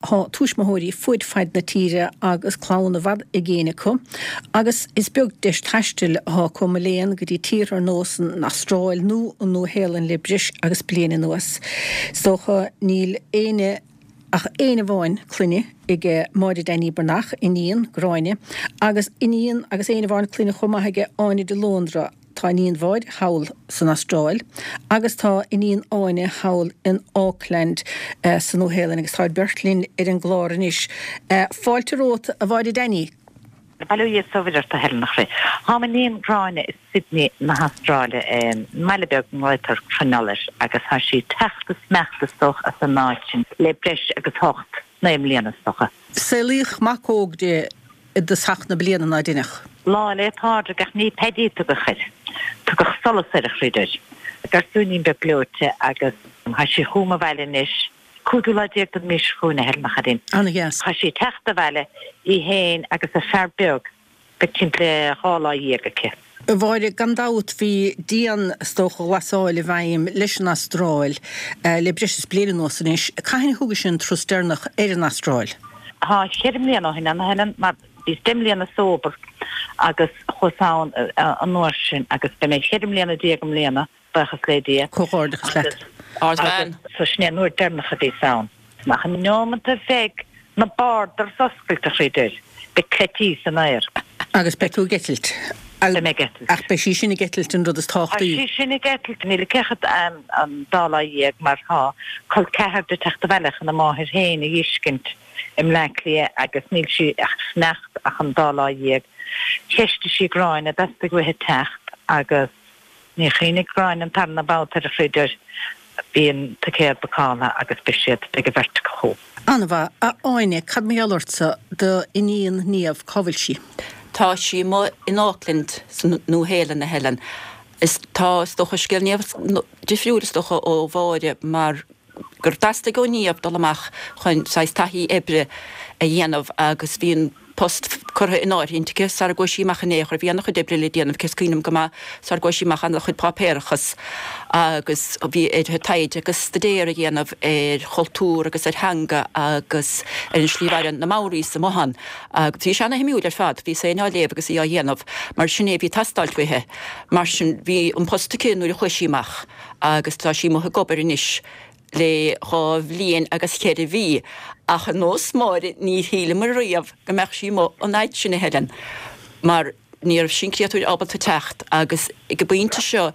Tá tuismitheoirí fuaid faid na tíre agus clann i bhfad i gcéin acu agus is beag deis taistil atá acu, mo léan, go dtí tíortha ar nós an Astráil nó an Nua-Shéalainn le breis agus bliain anuas. Is dócha níl éinne ach éinne amháin clainne aige Máire Danny Breathnach, iníon, Gráinne, agus iníon agus éinne amháin clainne chomh maith aige Áine de Lóndra. Tá iníon Mháire thall san Astráil agus tá iníon Áine thall in Auckland sa Nua-Shéalainn agus táid beirt linn ar an gclár anois. Fáilte romhat, a Mháire Danny. Bail ó Dhia is ó Mhuire ort, a Helen, a chroí. Tá m'iníon Gráinne i Sydney na hAstráile, i mbaile beag a nglaotar Cronulla air, agus tá sí ag teacht is imeacht is dócha as an áit sin le breis agus hocht, naoi mbliana is dócha. Saolaíodh mac óg di i dtosach na bliana, ná deineadh? Lá 'le Pádraig ach ní Paddy a tugadh air. Tugadh Solas air a chroí. Garsúinín beag gleoite agus tá sí chugam abhaile anois. Cúigiú lá déag den mhí seo chugainn, a Helen, a chairín. Ana-dheas. Tá sí ag teacht abhaile, í féin agus a fear beag, beidh timpeall le 12 lá aici. A Mháire, gan dabht bhí dian, is dócha, ghlasáil i bhfeidhm leis an Astráil le breis is bliain anuas anois. Cathain a thugais an turas deireanach ar an Astráil? Tá cheithre mbliana ó shin ann, a Helen, mar bhíos deich mbliana sober agus chuas ann an uair sin agus beidh mé cheithre mbliana déag i mbliana. Buíochas le Dia. Comhghairdeachas leat. Agus so sin é an uair deireanach a bhíos ann. Ach an neomat a bheidh na borders oscailte, a chroí dear, beidh cleití san aer. Agus beidh tú ag eitilt. Beidh mé ag eitilt. Ach beidh sí sin ag eitilt an rud is tábhachtaí. Tá sí sin ag eitilt. Níl aici ach an dá lá dhéag mar tá col ceathar di ag teacht abhaile chun a máthair féin a dh'fheiscint i mBleá Cliath agus níl sí ag fanacht ach an dá lá dhéag. Cheistigh sí Gráinne, dteastaigh uaithi teacht agus. Níor chuimhnigh Gráinne an tarna babhta air a chroí dear. Bhí an ticéad bookáilte agus beidh siad, beidh an bheirt acu chugam. An-mhaith. A Áine, cad mar gheall ortsa, do iníon Niamh, cá bhfuil sí? Tá sí amuigh in Auckland sa Nua-Shéalainn, a Helen. Is tá, is dócha, scéal Niamh difriúil, is dócha, ó Mháire mar gur theastaigh ó Niamh dul amach chun saghas taithí oibre a dhéanamh agus bhí an post curtha in áirithint aici sara gcuaigh sí amach in aon chor. Bhí ana-chuid oibre le déanamh aici, is cuimhin liom go maith, sara gcuaigh sí amach, ana-chuid páipéarachas agus bhí uirthi taighde agus staidéar a dhéanamh ar chultúr agus ar theanga agus ar an slí a mhaireann na Maoris amuigh ann. Agus bhí sé ana-shuimiúil ar fad, bhí féin á léamh agus í á dhéanamh mar sin é a bhí ag teastáilt uaithi. Mar sin bhí an post aici nuair a chuaigh sí amach. agus tá sí amuigh ag obair anois le dhá bhliain agus cheithre mhí, ach ar nós Máire níor shíleamar riamh go mbeadh sí amuigh an fhaid sin, a Helen, mar ní raibh an créatúr ábalta teacht agus ag an bpointe seo,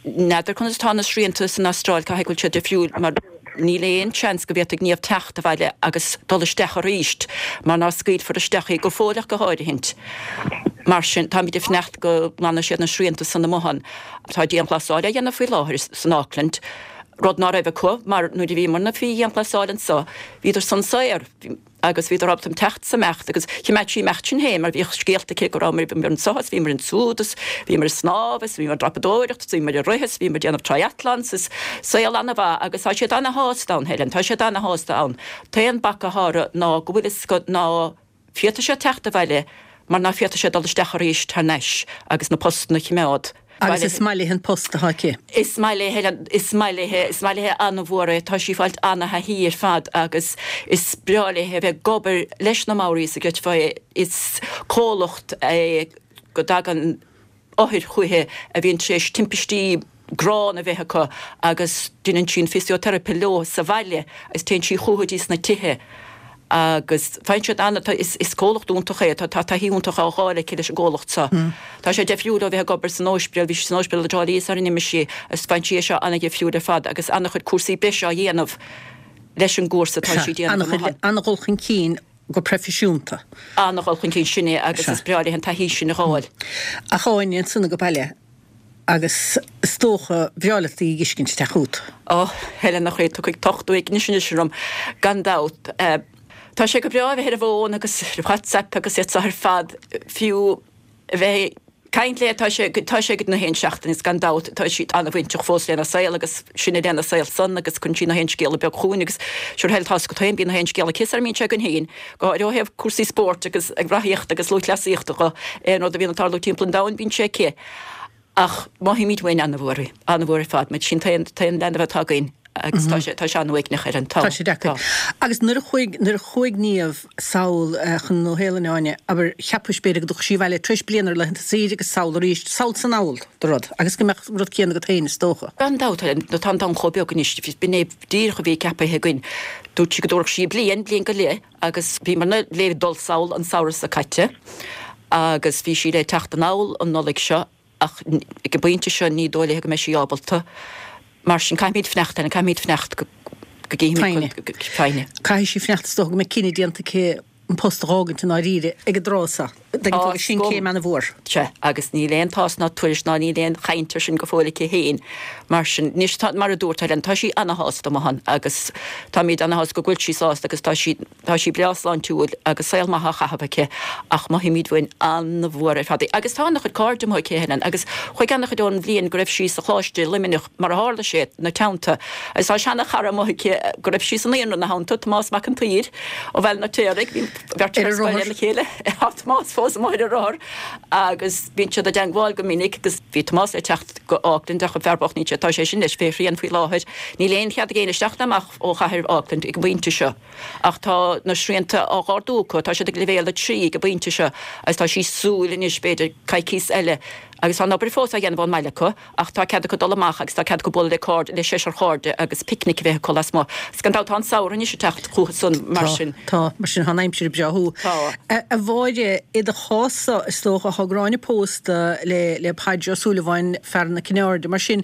n'fheadar conas atá na srianta san Astráil, caithfidh go bhfuil siad difriúil mar níl aon seans go bhféadfadh Niamh teacht abhaile agus dul isteach arís mar ná scaoilfear isteach í go fóill ach go háirithint. Mar sin, táimid ag fanacht go nglanfaidh siad na srianta san amuigh ann. Tá dianghlasáil á dhéanamh faoi láthair san Auckland, rud ná raibh acu mar nuair a bhíomarna faoi dhianghlasáil anso, bhíodar san saor agus bhíodar ábalta teacht 's imeacht agus chimeád sí imeacht sin féin mar bhíodh scéalta aici go rabhamar bhíomar anso is bhíomar ansúd is bhíomar ag snámh is bhíomar ag dreapadóireacht is bhíomar ag rith is bhíomar ag déanamh triathlons is saol ana-mhaith agus tá siad ana-shásta ann Helen, tá siad ana-shásta ann. T-aon bac atá orthu ná go bhfuil fhios acu ná Féadfaidh siad teacht abhaile mar ná féadfaidh siad dul isteach arís thar n-ais agus na postanna a chimeád. Agus is maith léi an post atá aici. Is maith léi, Helen, is maith léi, is maith léi an-mhór é. Tá sí ag fáilt ana-thaithí ar fad agus is breá léi a bheith ag obair leis na Maoris a gcreidfeá é. Is comhlacht é go dtagann. othair chúichi a bhíonn tar éis timpistí gránna a bheith acu agus deineann sí an fisioteiripe leo sa bhaile agus téann sí chucu dtí sna tithe agus faigheann siad ana, tá, is, is comhlacht iontach é, tá, tá taithí iontach á fháil aici leis an gcomhlacht seo. Tá sé deifriúil ó bheith ag obair san óispidéal, bhí sí san óispidéal i dTrá Lí sara n-imigh sí agus faigheann sí é seo ana-dhifriúil ar fad agus ana-chuid cúrsaí breise á dhéanamh leis an gcúrsa atá sí ag déanamh amuigh ann. Ana-dhul chun cinn go proifisiúnta. An-dhul chun cinn, sin é agus is breá léi an taithí sin a dh'fháil. Ach Áine, ansan ag baile agus is dócha breá leat í a dh'fheiscint ag teacht chút. Ó, Helen a chroí, tiocfaidh tocht uaignis anois orm, gan dabht. Tá sé go breá a bheith ar an bhfón agus ar WhatsApp agus iad seo ar fad, fiú a bheith ag caint léi, tá sé, tá sé go na haon seachtain is gan dabht tá sí an-bhainteach fós lena saol agus sinne lena saol san agus cuireann sí na haon scéala beag chugainn agus sure hell tá's agat féin bíonn na haon scéala aici sara mbíonn sé againn féin, go háirithe ó thaobh cúrsaí spóirt agus ag reathaíocht agus lúthchleasaíochta dho, aon rud a bhíonn ag tarlú timpeall an domhain bíonn sé aici. Ach mothaímid uainn an-mhór í, an-mhór ar fad, mar sin t-aon, t-aon leanbh atá againn. Agus tá sé, tá sé an-uaigneach Helen, tá. Tá sé deacair. Agus nuair a chuaigh, nuair a chuaigh Niamh sall chun na Nua-Shéalainne, Áine, abair, cheapais b'fhéidir go dtiocfadh sí abhaile tar éis bliana ar laethanta saoire agus sall arís, sall 's anall de rud, agus go mbeadh an rud céanna agat féin, is dócha. Gan dabht, Helen, tá an domhan chomh beag anois, b'in é díreach a bhí ceapaithe againn. Dúirt sí go dtabharfadh sí bliain, bliain go leith, agus bhíomar le dul sall an samhradh seo caite agus bhí sí le teacht anall an Nollaig seo ach ag an bpointe seo ní dóigh léi go mbeidh sí ábalta. Mar sin caithfimid fanacht, Helen, caithfimid fanacht go gcífimid Foighne. Caithfidh sí fanacht is dócha go mbeidh cinneadh déanta aici an post a dh'fhágaint i ndáiríre ag an dtráth seo. Tuigeann tú agus sin céim ana-mhór. Sea, agus níl aon tásc ná tuairisc ná níl aon chaint ar sin go fóill aici féin. Mar sin, anois tá, mar a dúirt Helen, tá sí ana-shásta amuigh ann agus táimid ana-shásta go bhfuil sí sásta agus tá sí, Tá sí breá sláintiúil agus saol maith á chaitheamh aici ach mothaímid uainn an-mhór ar fad í. Agus tá an-chuid cairde amuigh aici, Helen, agus chuaigh an-chuid ón bhliain go raibh sí sa Choláiste i Luimneach, mar a tharla sé, 'na teannta. Agus tá seana-chara amuigh aici go raibh sí sa naíonra 'na theannta, Tomás Mac an tSaoir ó Bhaile an Fheirtéaraigh. Bhí an bheirt ar scoil lena chéile. Tá Tomás fós amuigh ar a rothar agus bíonn siad i dteangmháil go minic agus bhí Tomás le teacht go Auckland ach an fear bocht níl sé, tá sé sin leis fé shrian faoi láthair. Níl aon chead ag éinne isteach ná amach ó chathair Auckland ag an bpointe seo. Ach tá na srianta á dh'ardú acu, tá siad ag leibhéal 3 ag an bpointe seo agus tá sí ag súil anois, b'fhéidir, coicíos eile agus tá an obair fós á dhéanamh ón mbaile acu ach tá cead acu dul amach agus tá cead acu bualadh le cairde, le seisear chairde agus picnic a bheith acu lasmuigh. Agus gan dabht tá an samhradh anois ag teacht chucu san mar sin. Tá, mar sin tá an aimsir ag breáthú. Tá. A Mháire, i do chás-sa, is dócha, tá Gráinne pósta le le Paidí Ó Súilleabháin, fear na Cinne Airde, mar sin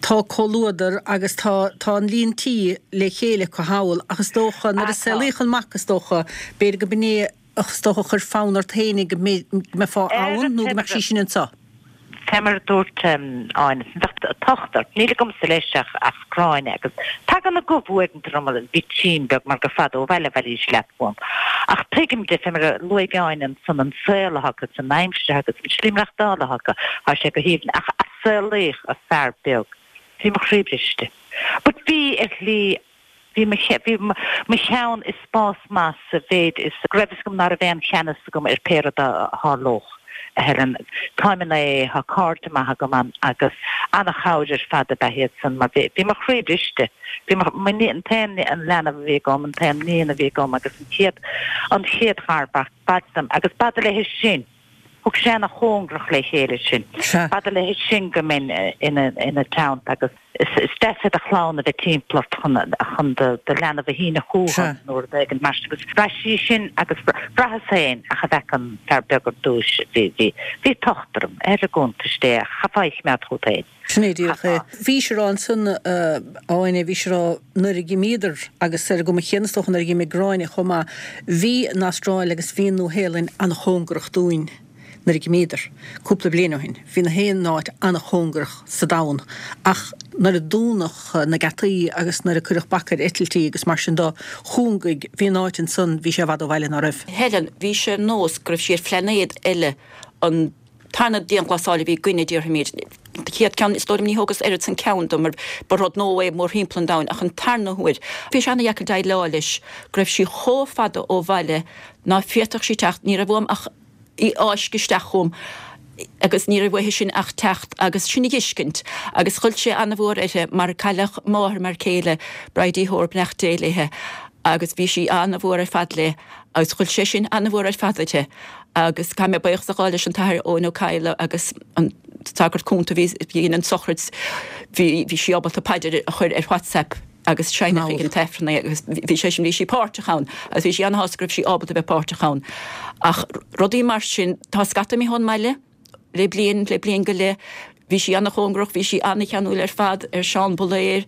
tá comhluadar agus tá tá an líon tí le chéile acu thall ach is dócha nuair a saolaíodh an mac is dócha b'fhéidir go b'in é is dócha a chuir fonn ort féinig go mbeifeá ann nó go mbeadh sí sin anseo. Fé mar a dúirt Áine, bheadh tocht ort. Níl agamsa leis ach ach Gráinne agus tagann a gomh uaireanta orm bitín beag mar gur fada ó bhaile a bhailís leat uaim. Ach tuigim di, fé mar a luaigh Áine ansan, an saol atá acu, an aimsir atá acu, an tslí maireachtála atá acu, tá sé go haoibhinn. Ach a saolaíodh an fear beag, bhí mo chroí briste. But bhí, ar shlí, bhí mo, bhí mo cheann i spás maith sa mhéid is go raibh fhios agam ná raibh aon cheannas agam ar pé rud a tharlódh, a Helen. Táim in AA, tá cairde maithe agam ann agus ana-chabhair ar fad ab ea iad san mar bhí, bhí mo chroí briste. Bhí mo, mo, an t-aon leanbh a bhí agam, an t-aon níon a bhí agam agus an chéad, an chéad gharmhac, b'fhada liom agus b'fhada léi sin. Thug sé ana chóngarach le chéile sinn. B'fhada léi sin go mbeinn ina teannta agus is deas é do chlann a bheith timpeall ort chun do leanbh a shíneadh chugat nó rud éigin mar sin agus bhraith sí sin agus bhraitheas féin ach a bhfeic an fear beag ar dtúis bhí bhí tocht orm ar an gcuntas Dé ach chaithfeá é a choimeád chugat féin. Sin é díreach é. Bhís ag rá ansan, a Áine, bhís ag rá nuair a dh'imíodar, agus ar an gcuma chéanna is dócha nuair a dh'imigh Gráinne chomh maith, bhí an Astráil agus bhí an Nua-Shéalainn an-chóngarach dúinn nuair a dh'imíodar, cúpla bliain ó shin. Bhí na haon áit an-chóngarach sa domhan ach nuair a dúnadh na geataí agus nuair a cuireadh bac ar eitiltí agus mar sin de, chúngaigh, bhí an áit ansan, bhí sé i bhfad ó bhaile, ná raibh? Helen, bhí sé ar nós go raibh sí ar phlainéad eile an tarna dianghlasáil a bhí againne, déarfaimid. An chéad ceann, is dóigh liom, ní thógas oiread san ceann dom mar ba rud nua é mórthimpeall an domhain, ach an tarna huair, bhí sé ana-dheacair déileáil leis go raibh sí chomh fada ó bhaile ná féadfadh sí teacht, ní raibh uaim ach í a fháisceadh isteach chugam agus ní raibh uaithi sin ach teacht agus sin a dh'fheiscint agus ghoill sé ana-mhór uirthi mar cailleadh máthair mar céile, Bridie Hoare, beannacht Dé léithe, agus bhí sí ana-mhór ar fad léi agus ghoill sé sin ana-mhór ar fad uirthi. Agus caithfidh mé buíochas a ghabháil leis an tAthair Eoin Ó Cadhla agus an sagart cúnta a bhí a dhein an tsochraid, bhí bhí sí ábalta paidir a chur ar WhatsApp agus seinneadh ag an t-Aifreann é agus bhí sé sin, bhí sí páirteach ann agus bhí sí ana-shásta go raibh sí ábalta a bheith páirteach ann. Ach rudaí mar sin, tá scata imithe ón mbaile le bliain, le bliain go leith. Bhí sí ana-chóngarach, bhí sí ana-cheanúil ar fad ar Seán Bulaer,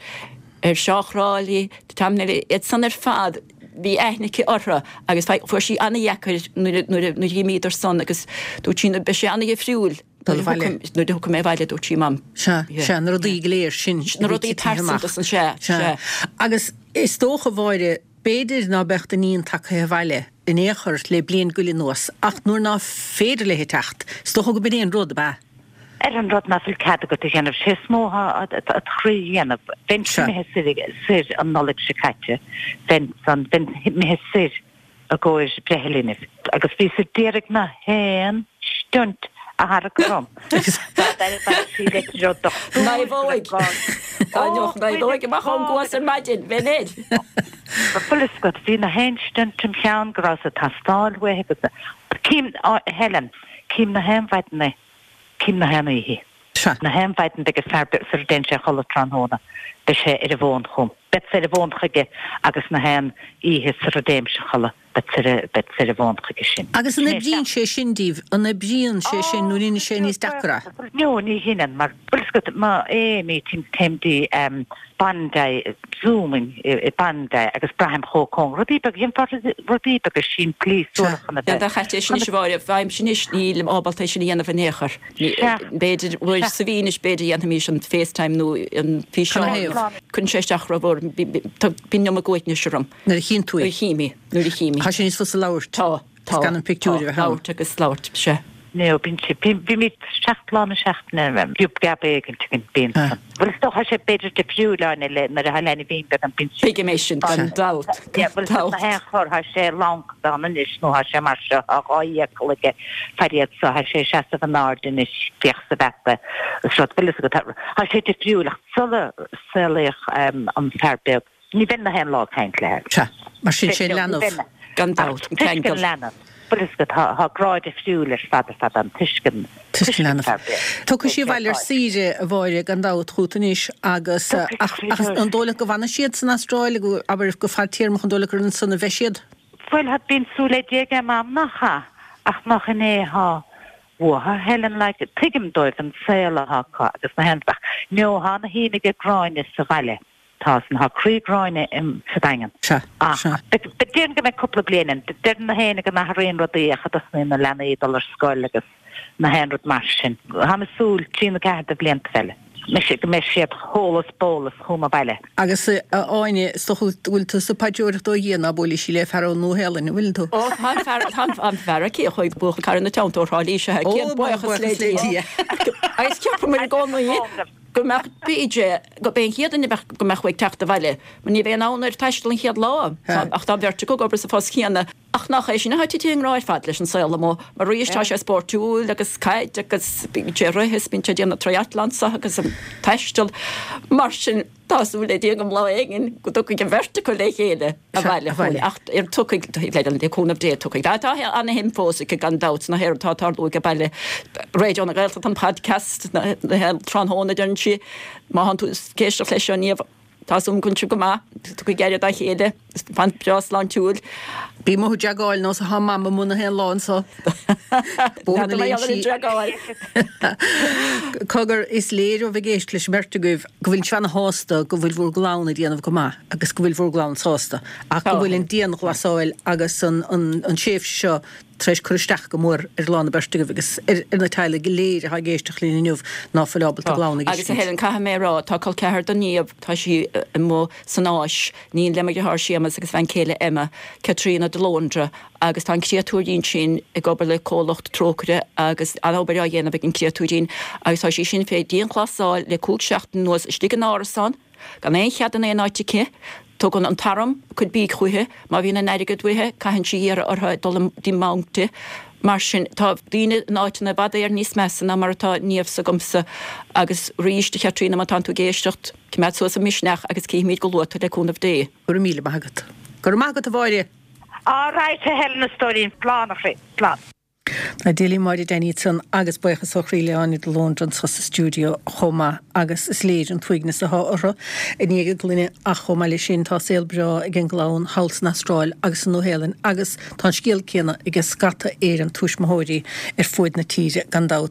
ar Seán Chráilí, Tom Neilí, iad san ar fad, bhí aithne aici orthu agus fuair sí ana-dheacair nuair a dh'imíodar san agus dúirt sí beidh sé ana-dhifriúil nuair a thiocfaidh mé abhaile, dúirt sí, Mam. Sea, sea, na rudaí go léir sin. Na rudaí pearsanta san, sea, sea. Agus is dócha, a Mháire, b'fhéidir ná beadh d'iníon tagtha abhaile in aon chor le bliain go leith anuas ach nuair ná féidir léi teacht, is dócha go b'in é an rud, ab ea? Ar an rud ná fuil cead agat a dhéanamh, sé is mó atá do chroí a dhéanamh. Bheinn imithe soir an Nollaig seo caite, bheinn san, bheinn imithe soir i gcomhair breithe linbh agus bhíos a d'iarraidh na haon stunt a tharrac orm. Dá dtairbeadh sí leitir ó dochtúir go raibh gá. Dá n-éireodh an fheadóig amach ón gcuas ar maidin, bheinn air. Bhfuil fhios agat, bhí na haon stunt im cheann go rabhas ag teastáil uaithe agus cím, a Helen, cím na haon mhaidin é, cím na haon oíche. Sea. Na haon mhaidin beidh an fear beag sar a dtéann sé a chodladh tráthnóna, beidh sé ar an bhfón chugam. Beadsa ar an bhfón chuige agus na haon oíche sar a dtéimse a chodladh, beadsa ar an bhfón chuige sin. Agus an oibríonn sé sin díbh? An oibríonn sé sin nó an ndéanann sé níos deacra é? No, ní dheineann, mar bhfuil fhios agat, má é meetings téim dtí Bondi, Zooming i Bondi agus braithim chomh cóngarach, rudaí beaga, dhéanfá rudaí beaga simplí suarach chun a bheith. Dá chaite é sin anois a Mháire, bheimis anois, nílim ábalta é sin a dhéanamh in aon chor. B'fhéidir uair sa mhí anois, b'fhéidir dhéanfaimis an FaceTime nó an físeán. Cuireann sé isteach rómhór, bíonn an iomarca uaignis orm. Nuair a chíonn tú í. Nuair a chím í, nuair a chím í. Tá sé níos fusa labhairt. Tá, tá. Is gan an pictiúr a bheith ann. Labhairt agus labhairt, sea. No, bíonn sé, bímid 7 lá na seachtaine, giob geab éigint againn, bíonn san. Bhuel is dócha sé b'fhéidir difriúil Áine le nuair atá leanbhín beag ann, bíonn sé. Tuigim é sin, gan dabht, gan dabht. Bhuel na haon chor, tá sé lancadan anois nó tá sé mar seo, tá 2 fhiacal aige, fairíoch so, tá sé ag seasamh in airde anois, féach sa bheata, is rud, bhfuil fhios agat, tá sé difriúil ach sula saolaíodh an fear beag, Ní bheinn na haon lá ag caint léi. Sea, mar sin sé leanbh. Gan dabht, an ceangal. Leanbh. Bhfuil fhios agat, tá, tá grá difriúil ar fad ar fad ann, tuiscint, Tuiscint leanbh. Tiocfaidh sí abhaile ar saoire, a Mháire, gan dabht, chugat anois agus, ach, ach an dóigh leat go bhfanfaidh siad san Astráil, go, abair, go fadtéarmach, an dóigh leat gur ansan a bheidh siad? Bhuel, tá, bíonn súil le Dia ag Mam nach ea, ach nach in é atá uathu, Helen, like, tuigim dóibh an saol atá acu agus na haon, ach, no, tá ana shuim aige Gráinne sa bhaile. Tá san, tá croí Gráinne sa Daingean. Sea, Ach sea. déarfainn go mbeidh cúpla bliain ann. Deireann na héinne go n-athraíonn rudaí ach a dtosnaíonn na leanaí ag dul ar scoil agus na haon rud mar sin. Táim ag súil, trí nó ceathair de bhlianta eile, go mbeidh siad eolas bólas chugam abhaile. Agus, a Áine, is dócha go bhfuil tusa ag paidreoireacht ó Dhia ná buailfidh sí le fear ón Nua-Shéalainn, an bhfuileann tú? Ó, tá an fear, tá an fear aici, a chuaigh buachaill cara ina teannta ó Thrá Lí, sea, céad buíochas le Dia. Agus cheapamar i gcónaí go mbeadh PJ, gurb é an chéad duine a bheadh, go mbeadh uaidh teacht abhaile, mar ní bheidh in ann air taisteal an chéad lá. Tá, ach tá an bheirt acu ag obair sa phost chéanna. Ach nach é sin atá tite i ngrá ar fad leis an saol amuigh, mar arís tá sé spóirtiúil agus caid agus bíonn sé ag rith is bíonn sé ag déanamh triathlon so agus an taisteal. Mar sin, tá súil le Dia go lá éigin go dtiocfaidh an bheirt acu le chéile abhaile chugainn. Ach ar tiocfaidh, le cúnamh Dé, tiocfaidh. Tá ana-shuim fós aici gan dabht sna haon rud atá ag tarlú age baile. Raidió na Gaeltachta an podcast, tráthnóna, deireann sí. Má thánn tú ag éisteacht leis seo Niamh, tá súil agam go bhfuil sibh go maith, tugaigí aire dá chéile, fan breá sláintiúil. Bí amuigh ag dragáil nós atá Mam amuigh na haon lá anso. Bóthar na Léinsí. Cogar, is léir ó bheith ag éisteacht leis an mbeirt agaibh go bhfuil sibh ana-shásta go bhfuil bhur gclann ag déanamh go maith agus go bhfuil bhur gclann sásta ach go bhfuil an dianghlasáil agus an tréimhse seo tar éis cur isteach go mór ar lán na beirte agaibh agus ar na teaghlaigh go léir atá ag éisteacht linn inniu ná fuil ábalta a gclann a Agus a Helen, caithfidh mé a rá, tá col ceathar do Niamh, tá sí amuigh san Áis, iníon le mo dheartháir Séamus agus a bhean chéile Emma, Caitríona de Lóndra, agus tá an créatúirín sin ag obair le comhlacht Trócaire agus an-obair á dhéanamh ag an gcréatúirín agus tá sí sin fé dianghlasáil le cúig seachtain anuas istigh in árasán. Gan aon chead in aon áit aici. Tugann an t-arm a cuid bídh chúichi. Má bhíonn an airgead uaithi, caitheann sí iarraidh orthu dul dtí mbanc di. Mar sin, tá daoine in áiteanna i bhfad Éireann níos measa ná mar atá Niamh s'agamsa. Agus arís, a Chaitríona, má tánn tú ag éisteacht, coimeád suas an misneach agus cífimid go luath tú le cúnamh Dé. Go raibh míle maith agat. Go raibh maith agat, a Mháire. All right, a Helen, a stóirín, slán a chroí, slán. Tá Deilí Máire Danny ansan agus buíochas ó chroí le Áine de Lóndra anso sa stiúideo chomh maith agus is léir an t-uaigneas atá orthu i ndiaidh a gclainne ach chomh maith leis sin tá saol breá ag an gclann thall san Astráil agus sa Nua-Shéalainn agus tá an scéal céanna ag scata Éireann tuismitheoirí ar fuaid na tíre gan dabht.